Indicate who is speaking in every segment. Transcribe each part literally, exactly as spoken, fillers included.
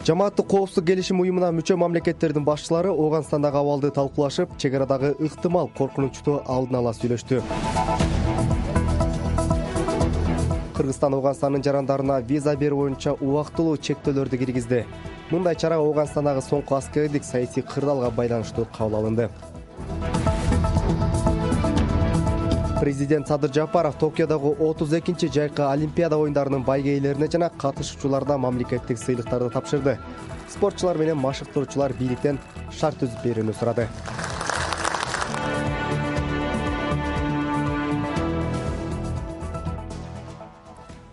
Speaker 1: Жамааттык коопсуздук келишим уюмуна мүчө мамлекеттердин башчылары Ооганстандагы абалды талкуулашып, чек арадагы ыктымал коркунучту алдын ала сүйлөштү. Кыргызстан Ооганстандын жарандарына виза берүү боюнча убактылуу чектөөлөрдү киргизди. Мындай чара Ооганстандагы соңку аскердик саясий кырдаалга байланыштуу кабыл алынды. Президент Садыр Жапаров Токиодогу отуз экинчи жайкы Олимпиада оюндарынын байгейлерине жана катышуучуларына мамлекеттик сыйлыктарды тапшырды. Спортчулар менен машыктыруучулар бийликтен шарт түзүп берүүнү сурады.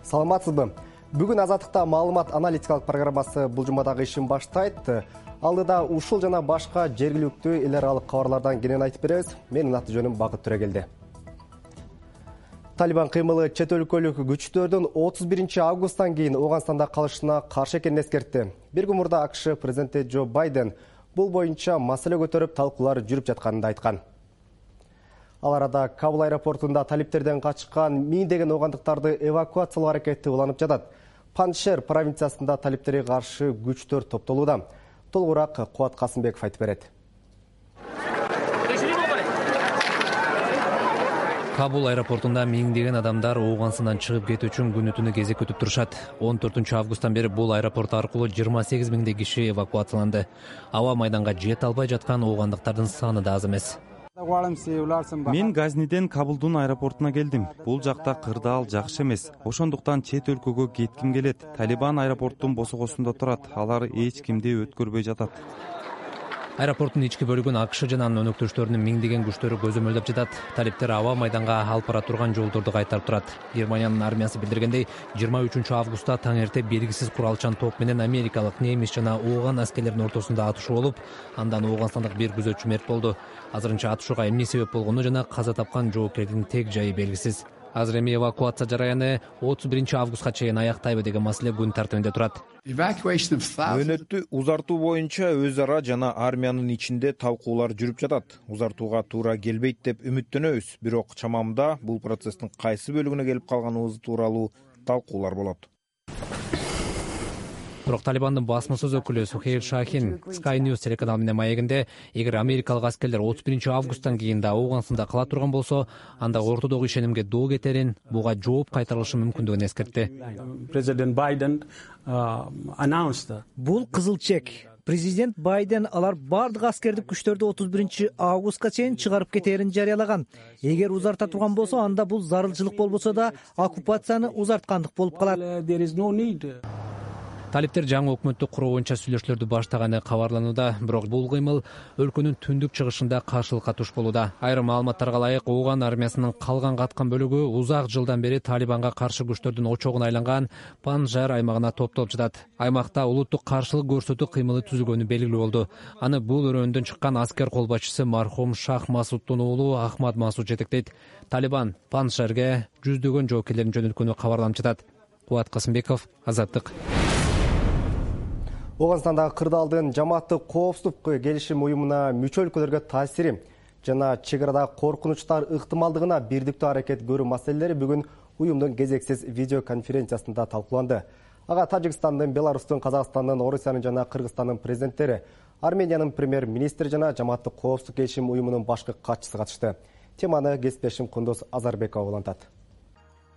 Speaker 1: Саламатсызбы? Бүгүн Азаттыкта маалымат аналитикалык программасы бул жумадагы ишин баштайт. Алдыда ушул жана башка жергиликтүү эл аралык кабарлардан кенен айтып беребиз. Менин аты жөнүм Бакыт Төрөгелди. Талибан кыймылы чет өлкөлүк күчтөрдүн отуз биринчи августтан кийин Ооганстанда калышына каршы экенин эскертти. Бир күн мурда АКШ президенти Джо Байден бул боюнча маселе көтөрүп талкуулар жүрүп жатканын да айткан. Ал арада Кабул аэропортунда талиптерден качкан миңдеген оогандыктарды эвакуациялоо аракети уланып жатат. Паншер провинциясында талиптерге каршы күчтөр топтолууда. Толугураак Кубат Касымбеков айтып берет.
Speaker 2: Кабул аэропортунда миңдеген адамдар Ооганстандан чыгып кетүү үчүн күнү түнү кезек күтүп турушат. он төртүнчү августтан бери бул аэропорт аркылуу жыйырма сегиз миңдей киши эвакуацияланды. Аба майданга жете албай жаткан оогандыктардын саны да аз эмес.
Speaker 3: Мен Газниден Кабулдун аэропортуна келдим. Бул жакта кырдаал жакшы эмес. Ошондуктан чет өлкөгө кетким келет. Талибан аэропорттун босогосунда турат. Алар эч кимди өткөрбөй жатат.
Speaker 2: Аэропорттун ички бөлүгүн АКШ жана анын өнөктөштөрүнүн миңдеген күчтөрү көзөмөлдөп жатат. Талиптер аба майданга алып бара турган жолдорду кайтарып турат. Германиянын армиясы билдиргендей, жыйырма үчүнчү августта таң эрте белгисиз куралчан топ менен америкалык, немис жана ооган аскерлеринин ортосунда атышуу болуп, андан Ооганстандык бир күзөтчү мерт болду. Азырынча атышууга эмне себеп болгону жана каза тапкан жоопкердин тег жайы белгисиз. Азыр эми эвакуация жараяны отуз биринчи августка чейин аяктайбы деген маселе күн тартибинде турат.
Speaker 4: Мөөнөттү узартуу боюнча өз ара жана армиянын ичинде талкуулар жүрүп жатат. Узартууга туура келбейт деп үмүттөнөбүз, бирок чамамда бул процесстин кайсы бөлүгүнө келип калганыбыз тууралуу талкуулар болот.
Speaker 2: Бирок Талибандын басма сөз өкүлү Сухейл Шахин Sky News телеканалы менен маегинде, эгер америкалык аскерлер отуз биринчи августтан кийин да Ооганстанда кала турган болсо, анда ортодогу ишенимге доо кетерин, буга жооп кайтарылышы мүмкүндүгүн эскертти.
Speaker 5: Президент Байден
Speaker 6: бул кызыл чек. Президент Байден алар бардык аскердик күчтөрдү отуз биринчи августка чейин чыгарып кетээрин жарыялаган. Эгер узарта турган болсо, анда бул зарылчылык болбосо да оккупацияны узарткандык болуп калат.
Speaker 2: Талиптер жаңы өкмөттү куруу боюнча сүйлөшүүлөрдү баштаганы кабарланууда, бирок бул кыймыл өлкөнүн түндүк чыгышында каршылыкка туш болууда. Айрым маалыматтарга ылайык, Ооган армиясынын калган каткан бөлүгү узак жылдан бери Талибанга каршы күчтөрдүн очогуна айланган Панжар аймагына топтолуп жатат. Аймакта улуттук каршылык көрсөтүү кыймылы түзүлгөнү белгилүү болду. Аны бул өрөөндөн чыккан аскер кол башчысы мархум Шах Масуддун уулу Ахмад Масуд жетектейт. Талибан Панжарга жүздөгөн жоокерлерин жөнөткөнү кабарланып жатат. Кубат Касымбеков, Азаттык.
Speaker 1: Ооганстандагы кырдаалдын жамааттык коопсуздук келишим уюмуна мүчө өлкөлөргө таасири жана чек арадагы коркунучтар ыктымалдыгына бирдиктүү аракет көрүү маселелери бүгүн уюмдун кезексиз видеоконференциясында талкууланды. Ага Тажикстандын, Беларустун, Казакстандын, Орусиянын жана Кыргызстандын президенттери, Армениянын премьер-министри жана жамааттык коопсуздук келишим уюмунун башкы катчысы катышты. Теманы кесиптешим Кундуз Азарбекова улантат.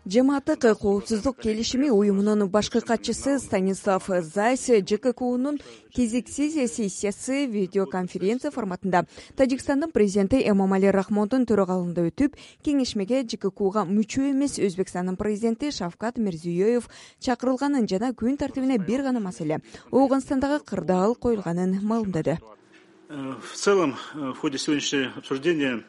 Speaker 7: Жамааттык коопсуздук келишими уюмунун башкы катчысы Станислав Зайс ЖККУнун кезексиз сессиясы видеоконференция форматында Тажикстандын президенти Эмомали Рахмондун төрагалыгында өтүп, кеңешмеге ЖККУга мүчө эмес Өзбекстандын президенти Шавкат Мирзиёев чакырылганын жана күн тартибине бир гана маселе Ооганстандагы кырдаал коюлганын маалымдады.
Speaker 5: В целом, в ходе сегодняшнего обсуждения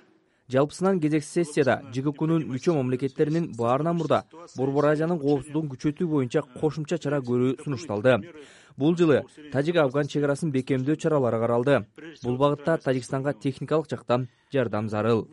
Speaker 8: Жалпысынан кезексиз сессияда ЖККУнун мүчө мамлекеттеринин баарынан мурда Борбор Азиянын коопсуздугун күчөтүү боюнча кошумча чара көрүү сунушталды. Бул жылы Тажик-Афган чек арасын бекемдөө чаралары каралды. Бул багытта Тажикстанга техникалык жактан жардам зарыл.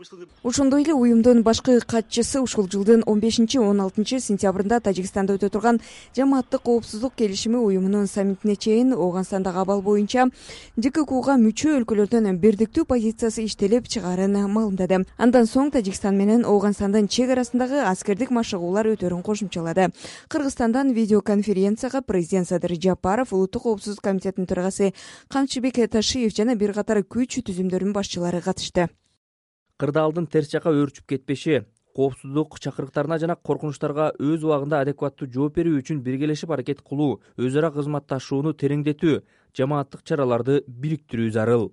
Speaker 7: Ошондой эле уюмдун башкы катчысы ушул жылдын он бешинчи он алтынчы сентябрында Тажикстанда өтө турган жамааттык коопсуздук келишими уюмунун саммитине чейин Ооганстандагы абал боюнча ЖККУга мүчө өлкөлөрдөн бирдиктүү позициясы иштелип чыгаарын маалымдады. Андан соң Тажикстан менен Ооганстандын чек арасындагы аскердик машыгуулар өтөрүн кошумчалады. Кыргызстандан видеоконференцияга президент Садыр Жапаров Абдуллаев, Улуттук коопсуздук комитетинин төрагасы Камчыбек Ташиев жана бир катар күч түзүмдөрүнүн башчылары катышты.
Speaker 8: Кырдаалдын терс жакка өөрчүп кетпеши, коопсуздук чакырыктарына жана коркунучтарга өз убагында адекваттуу жооп берүү үчүн биргелешип аракет кылуу, өз ара кызматташууну тереңдетүү, жамааттык чараларды бириктирүү зарыл.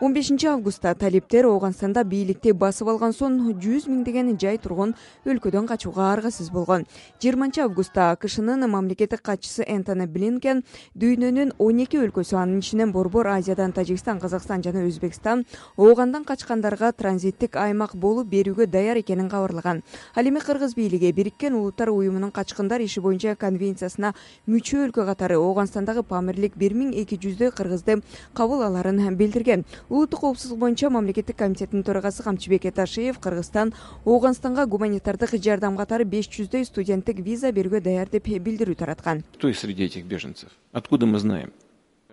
Speaker 7: он бешинчи августта талиптер Ооганстанда бийликти басып алган соң жүз миңдеген жай тургун өлкөдөн качууга аргасыз болгон. жыйырманчы августта АКШнын мамлекеттик катчысы Энтони Блинкен дүйнөнүн он эки өлкөсү, анын ичинен Борбор Азиядан Тажикстан, Казакстан жана Өзбекстан Оогандан качкандарга транзиттик аймак болуп берүүгө даяр экенин кабарлаган. Ал эми Кыргыз бийлиги Бириккен Улуттар уюмунун качкындар иши боюнча конвенциясына мүчө өлкө катары Ооганстандагы Памирлик бир миң эки жүздөй кыргызды кабыл аларын билдирген. Улуттук коопсуздук боюнча мамлекеттик комитеттин төрагасы Камчыбек Ташиев Кыргызстан Ооганстанга гуманитардык жардам катары беш жүздөй студенттик виза берүүгө даяр деп билдирүү тараткан.
Speaker 9: Кто есть среди этих беженцев? Откуда мы знаем?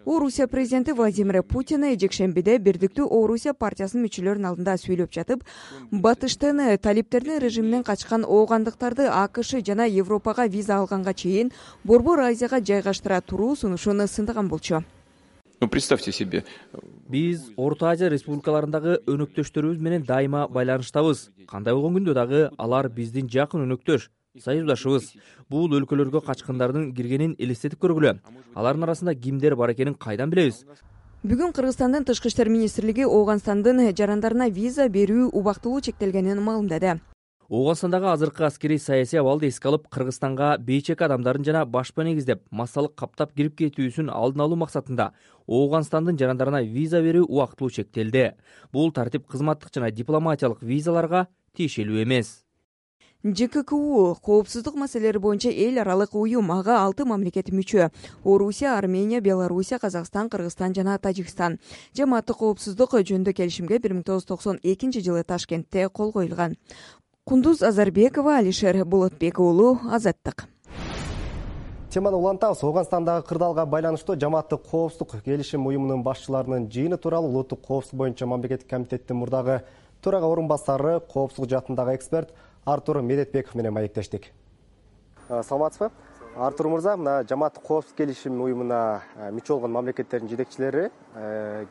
Speaker 7: Орусия президенти Владимир Путин жекшембиде Бирдиктүү Орусия партиясынын мүчөлөрүнүн алдында сүйлөп жатып, батыштын талиптердин режиминен качкан оогандыктарды АКШ жана Европага виза алганга чейин Борбор Азияга жайгаштыра туруу сунушун сындаган болчу.
Speaker 9: Ну, представьте себе.
Speaker 8: Биз Орто Азия республикаларындагы өнөктөштөрүбүз менен дайыма байланыштабыз. Кандай болгон күндө дагы алар биздин жакын өнөктөш, союздашыбыз. Бул өлкөлөргө качкындардын киргенин элестетип көргүлө. Алардын арасында кимдер бар экенин кайдан билебиз?
Speaker 7: Бүгүн Кыргызстандын Тышкы иштер министрлиги Ооганстандын жарандарына виза берүү убактылуу чектелгенин маалымдады.
Speaker 8: Ооганстандагы азыркы аскерий саясий абалды эске алып, Кыргызстанга бейчек адамдарын жана башпа негиздеп, массалык каптап кирип кетүүсүн алдын алуу максатында Ооганстандын жарандарына виза берүү убактылуу чектелди. Бул тартип кызматтык жана дипломатиялык визаларга тиешелүү эмес.
Speaker 7: ЖККУ коопсуздук маселелери боюнча эл аралык уюм, ага алты мамлекет мүчө: Орусия, Армения, Белоруссия, Казакстан, Кыргызстан жана Тажикстан. Жамааттык коопсуздук жөнүндө келишимге бир миң тогуз жүз токсон экинчи жылы Ташкентте кол коюлган. Кундуз Азарбекова, Алишер Болотбек уулу, Азаттык.
Speaker 1: Теманы улантабыз. Ооганстандагы кырдаалга байланыштуу жамааттык коопсуздук келишим уюмунун башчыларынын жыйыны тууралуу Улуттук коопсуздук боюнча мамлекеттик комитеттин мурдагы төрага орун басары, коопсуздук жаатындагы эксперт Артур Медетбеков менен маектештик. Саламатсызбы? Артур мырза, мына жамааттык коопсуздук келишим уюмуна мүчө болгон мамлекеттердин жетекчилери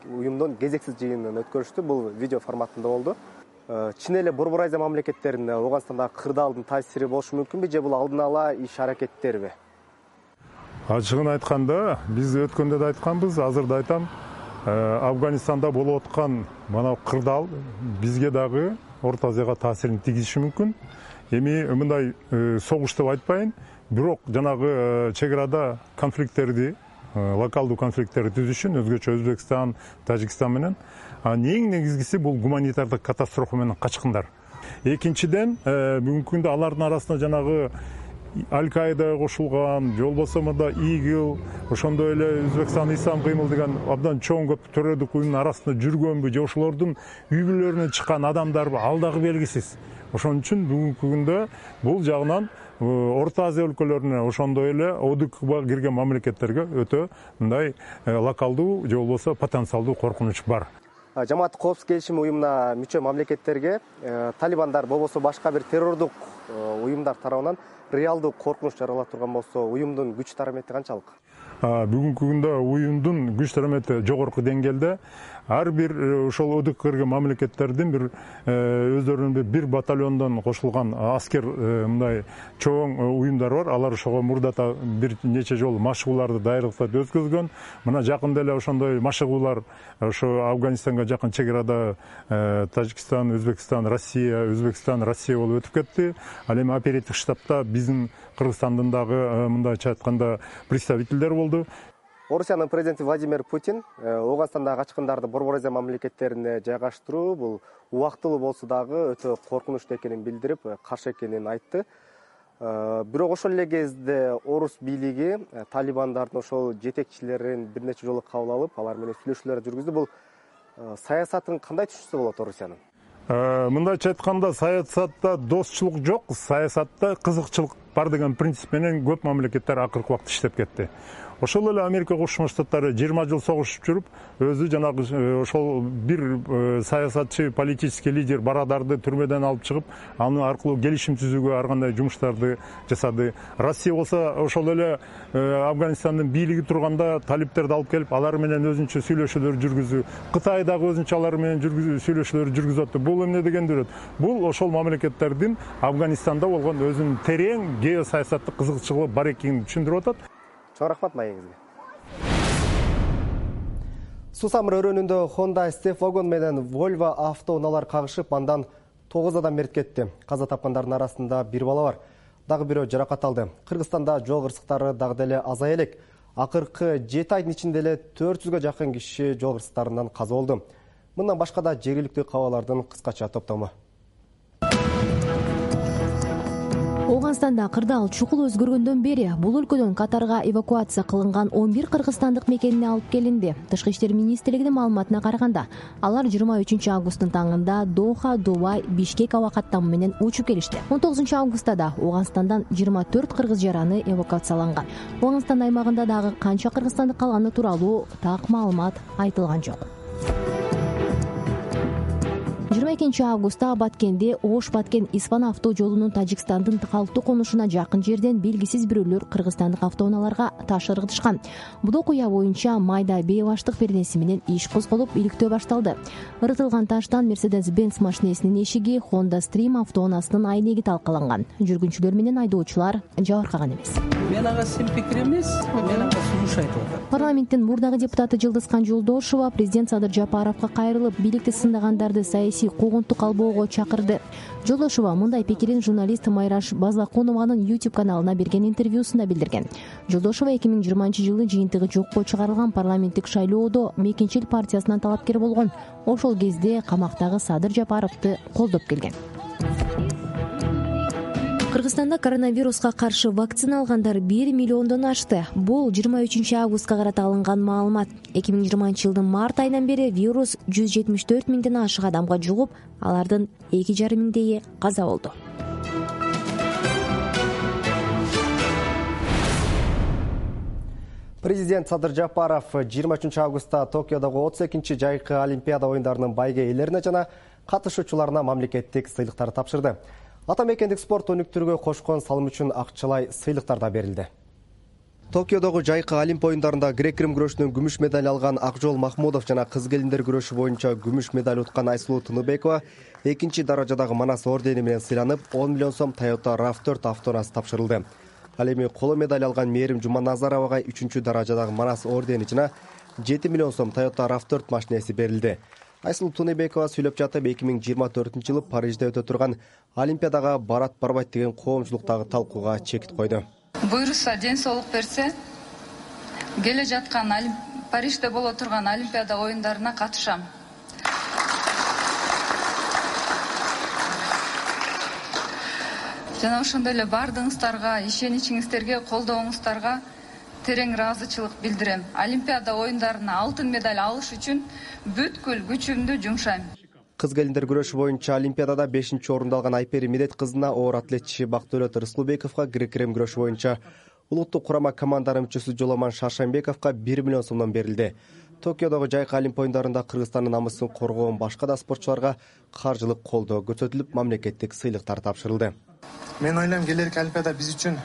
Speaker 1: уюмдун кезексиз жыйынын өткөрүштү. Бул видео форматында болду. Чын эле Борбор Азия мамлекеттерине Ооганстандагы кырдаалдын таасири болушу мүмкүнбү, же бул алдын ала иш аракеттерби?
Speaker 10: Ачыгын айтканда, биз өткөндө да айтканбыз, азыр да айтам, Афганистанда болуп аткан мына кырдаал бизге дагы Орто Азияга таасирин тийгизиши мүмкүн. Эми мындай согуш деп айтпайын, бирок жанагы чек-арада конфликттерди, локалдуу конфликттерди түзүшүн, өзгөчө Өзбекстан, Тажикстан менен, эң негизгиси бул гуманитардык катастрофа менен качкындар. Экинчиден, бүгүнкү күндө алардын арасында жанагы Аль-Каида кошулган, же болбосо мында ИГИЛ, ошондой эле Өзбекстан Ислам кыймыл деген абдан чоң көп төрөдүк уюмдун арасында жүргөнбү, же ошолордун үй бүлөлөрүнөн чыккан адамдарбы, ал дагы белгисиз. Ошон үчүн бүгүнкү күндө бул жагынан Орто Азия өлкөлөрүнө, ошондой эле ОДКБга кирген мамлекеттерге өтө мындай локалдуу же болбосо потенциалдуу коркунуч бар.
Speaker 1: Жамааттык коопсуздук келишим уюмуна мүчө мамлекеттерге талибандар болбосо башка бир террордук уюмдар тарабынан реалдуу коркунуч жаралап турган болсо, уюмдун күч тарамети канчалык?
Speaker 10: Бүгүнкү күндө уюмдун күч тарамети жогорку деңгээлде. Ар бир ошол ОДКБга кирген мамлекеттердин бир өздөрүнүн бир батальондон кошулган аскер мындай чоң уюмдар бар. Алар ошого мурдата бир нече жолу машыгууларды, даярдыктарды өткөзгөн. Мына жакында эле ошондой машыгуулар ошо Афганистанга жакын чек-арада Тажикстан, Өзбекстан, Россия, Өзбекстан, Россия болуп өтүп кетти. Ал эми оперативдик штабта биздин Кыргызстандын дагы мындайча айтканда представителдер болду.
Speaker 1: Орусиянын президенти Владимир Путин Ооганстандагы качкындарды Борбор Азия мамлекеттерине жайгаштыруу бул убактылуу болсо дагы өтө коркунучтуу экенин билдирип, каршы экенин айтты. Бирок ошол эле кезде орус бийлиги талибандардын ошол жетекчилерин бир нече жолу кабыл алып, алар менен сүйлөшүүлөр жүргүздү. Бул саясатын кандай түшүнсө болот Орусиянын?
Speaker 10: Мындайча айтканда, саясатта достчулук жок, саясатта кызыкчылык бар деген принцип менен көп мамлекеттер акыркы убакытта иштеп кетти. ошол эле Америка Кошмо Штаттары жыйырма жыл согушуп жүрүп, өзү жанагы ошол бир саясатчы, политический лидер Барадарды түрмөдөн алып чыгып, аны аркылуу келишим түзүүгө ар кандай жумуштарды жасады. Россия болсо ошол эле Афганистандын бийлиги турганда талиптерди алып келип, алар менен өзүнчө сүйлөшүүлөр жүргүзүү. Кытай дагы өзүнчө алар менен сүйлөшүүлөр жүргүзүп атты. Бул эмне дегенди берет? Бул ошол мамлекеттердин Афганистанда болгон өзүнүн терең геосаясаттык кызыкчылыгы бар экенин түшүндүрүп атат.
Speaker 1: Чоң рахмат маегиңизге. Сусамыр өрөөнүндө Honda Step-Wagon менен Volvo автоунаалар кагышып, андан тогуз адам мерт кетти. Каза тапкандардын арасында бир бала бар. Дагы бирөө жаракат алды. Кыргызстанда жол кырсыктары дагы деле азая элек. Акыркы жети айдын ичинде эле төрт жүзгө жакын киши жол кырсыктарынан каза болду. Мындан башка да жергиликтүү кабарлардын кыскача топтому.
Speaker 11: Ооганстанда кырдаал чукул өзгөргөндөн бери бул өлкөдөн Катарга эвакуация кылынган он бир кыргызстандык мекенине алып келинди. Тышкы иштер министрлигинин маалыматына караганда, алар жыйырма үчүнчү августтун таңында Доха, Дубай, Бишкек аба каттамы менен учуп келишти. он тогузунчу августта да Ооганстандан жыйырма төрт кыргыз жараны эвакуацияланган. Ооганстан аймагында дагы канча кыргызстандык калганы тууралуу так маалымат айтылган жок. жыйырма экинчи августта Баткенде Ош-Баткен Испан авто жолунун Тажикстандын калктуу конушуна жакын жерден белгисиз бирөөлөр кыргызстандык автоунааларга таш ыргытышкан. Бул окуя боюнча майда бейбаштык пернеси менен иш козголуп, иликтөө башталды. Ыргытылган таштан Mercedes-Benz машинесинин эшиги, Honda Stream автоунаасынын айнеги талкаланган. Жүргүнчүлөр менен айдоочулар жабыркаган эмес.
Speaker 12: Мен ага сен пикир эмес, мен ага сунуш айтып атам.
Speaker 11: Парламенттин мурдагы депутаты Жылдызкан Жолдошова президент Садыр Жапаровго кайрылып, бийликти сындагандарды саясий куугунтук албоого чакырды. Жолдошова мындай пикирин журналист Майраш Базлакунованын YouTube каналына берген интервьюсунда билдирген. Жолдошова эки миң жыйырманчы жылы жыйынтыгы жокко чыгарылган парламенттик шайлоодо Мекенчил партиясынан талапкер болгон. Ошол кезде камактагы Садыр Жапаровду колдоп келген. Кыргызстанда коронавируска каршы вакцина алгандар бир миллиондон ашты. Бул жыйырма үчүнчү августка карата алынган маалымат. эки миң жыйырманчы жылдын март айынан бери вирус жүз жетимиш төрт миңден ашык адамга жугуп, алардын эки жарым миңдейи каза болду.
Speaker 1: Президент Садыр Жапаров жыйырма үчүнчү августта Токиодогу отуз экинчи жайкы Олимпиада оюндарынын байге ээлерине жана катышуучуларына мамлекеттик сыйлыктар тапшырды. Ата мекендик спорт өнүктүрүүгө кошкон салым үчүн акчалай сыйлыктар да берилди. Токиодогу жайкы Олимп оюндарында грек-рим күрөшүнөн күмүш медаль алган Акжол Махмудов жана кыз келиндер күрөшү боюнча күмүш медаль уткан Айсулуу Тыныбекова экинчи даражадагы Манас ордени менен сыйланып, он миллион сом Toyota рав төрт автоунаасы тапшырылды. Ал эми коло медаль алган Мээрим Жуманазаровага үчүнчү даражадагы Манас ордени жана жети миллион сом Toyota рав төрт машинеси берилди. Айсулуу Тыныбекова сүйлөп жатып, эки миң жыйырма төртүнчү жылы Парижде өтө турган Олимпиадага барат барбайт деген коомчулуктагы талкууга чекит койду.
Speaker 13: Буйруса, ден соолук берсе, келе жаткан Парижде боло турган Олимпиада оюндарына катышам. Жана ошондой эле бардыгыңыздарга, ишеничиңиздерге, колдооңуздарга терең ыраазычылык билдирем. Олимпиада оюндарына алтын медаль алыш үчүн бүткүл күчүмдү жумшайм.
Speaker 1: Кыз келиндер күрөшү боюнча Олимпиадада бешинчи орунду алган Айпери Медет кызына оор атлетчи Бактөөлөт Рыскулбековго, грек-рим күрөшү боюнча улуттук курама команданын мүчөсү Жоламан Шаршембековго бир миллион сомдон берилди. Токиодогу жайкы Олимп оюндарында Кыргызстандын намысын коргоон башка да спортчуларга каржылык колдоо көрсөтүлүп, мамлекеттик сыйлыктар тапшырылды.
Speaker 14: Мен ойлойм, келерки Олимпиада биз үчүн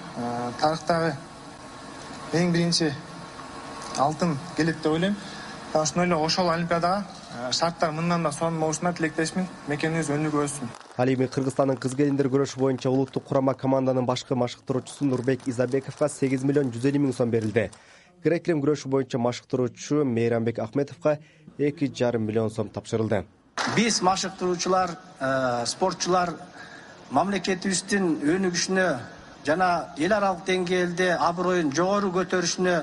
Speaker 14: тарыхтагы эң биринчи алтын келет деп ойлойм. Ошондой эле ошол Олимпиадага шарттар мындан да сонун болушуна тилектешмин. Мекенибиз өнүгүп өссүн.
Speaker 1: Ал эми Кыргызстандын кыз келиндер күрөшү боюнча улуттук курама команданын башкы машыктыруучусу Нурбек Изабековго сегиз миллион жүз элүү миң сом берилди. Грек-рим күрөшү боюнча машыктыруучу Мейрамбек Ахметовго эки жарым миллион сом тапшырылды.
Speaker 15: Биз машыктыруучулар, спортчулар мамлекетибиздин өнүгүшүнө жана эл аралык деңгээлде аброюн жогору көтөрүшүнө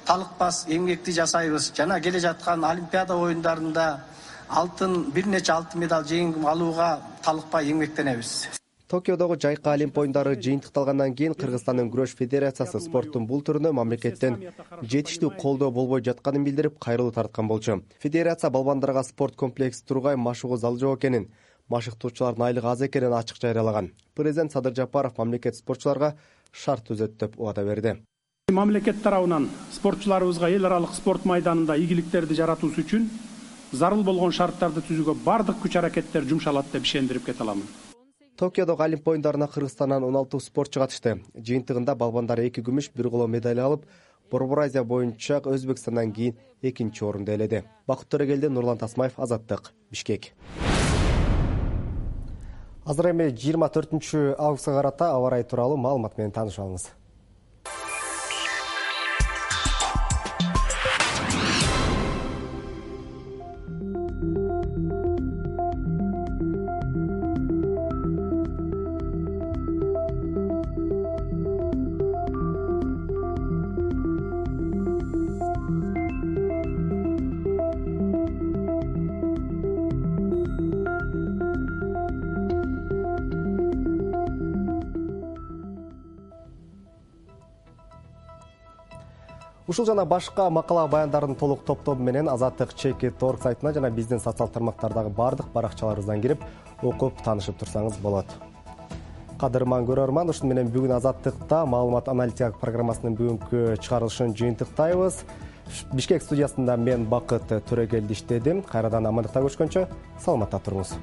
Speaker 15: талыкпас эмгекти жасайбыз. Жана келе жаткан Олимпиада оюндарында алтын бир нече алтын медаль жеңип алууга талыкпай эмгектенебиз.
Speaker 1: Токиодогу жайкы Олимп оюндары жыйынтыкталгандан кийин Кыргызстандын күрөш федерациясы спорттун бул түрүнө мамлекеттен жетиштүү колдоо болбой жатканын билдирип, кайрылуу тарткан болчу. Федерация балбандарга спорт комплекси Тургай машыгуу залы жок экенин, машыктоочулардын айлыгы аз экенин ачык жарыялаган. Президент Садыр Жапаров мамлекет спортчуларга шарт түзөт деп убада берди.
Speaker 16: мамлекет тарабынан спортчуларыбызга эл аралык спорт майданында ийгиликтерди жаратуусу үчүн зарыл болгон шарттарды түзүүгө бардык күч аракеттер жумшалат деп ишендирип кете аламын.
Speaker 1: Токиодогу Олимп оюндарына Кыргызстандан он алты спортчу катышты. Жыйынтыгында балбандар эки күмүш, бир коло медаль алып, Борбор Азия боюнча Өзбекстандан кийин экинчи орунду ээледи. Бакыт Төрөгелди, Нурлан Тасмаев, Азаттык, Бишкек. Азыр эми жыйырма төртүнчү августка карата аба ырайы тууралуу маалымат менен таанышып алыңыз. Ушул жана башка макала баяндардын толук топтобу менен Азаттык чекит точка орг сайтына жана биздин социалдык тармактардагы бардык баракчаларыбыздан кирип, окуп таанышып турсаңыз болот. Кадырман көрөрман, ушуну менен бүгүн Азаттыкта маалымат аналитика программасынын бүгүнкү чыгарылышын жыйынтыктайбыз. Бишкек студиясында мен Бакыт Төрөгелди иштедим. Кайрадан амандыкта көрүшкөнчө саламатта туруңуз.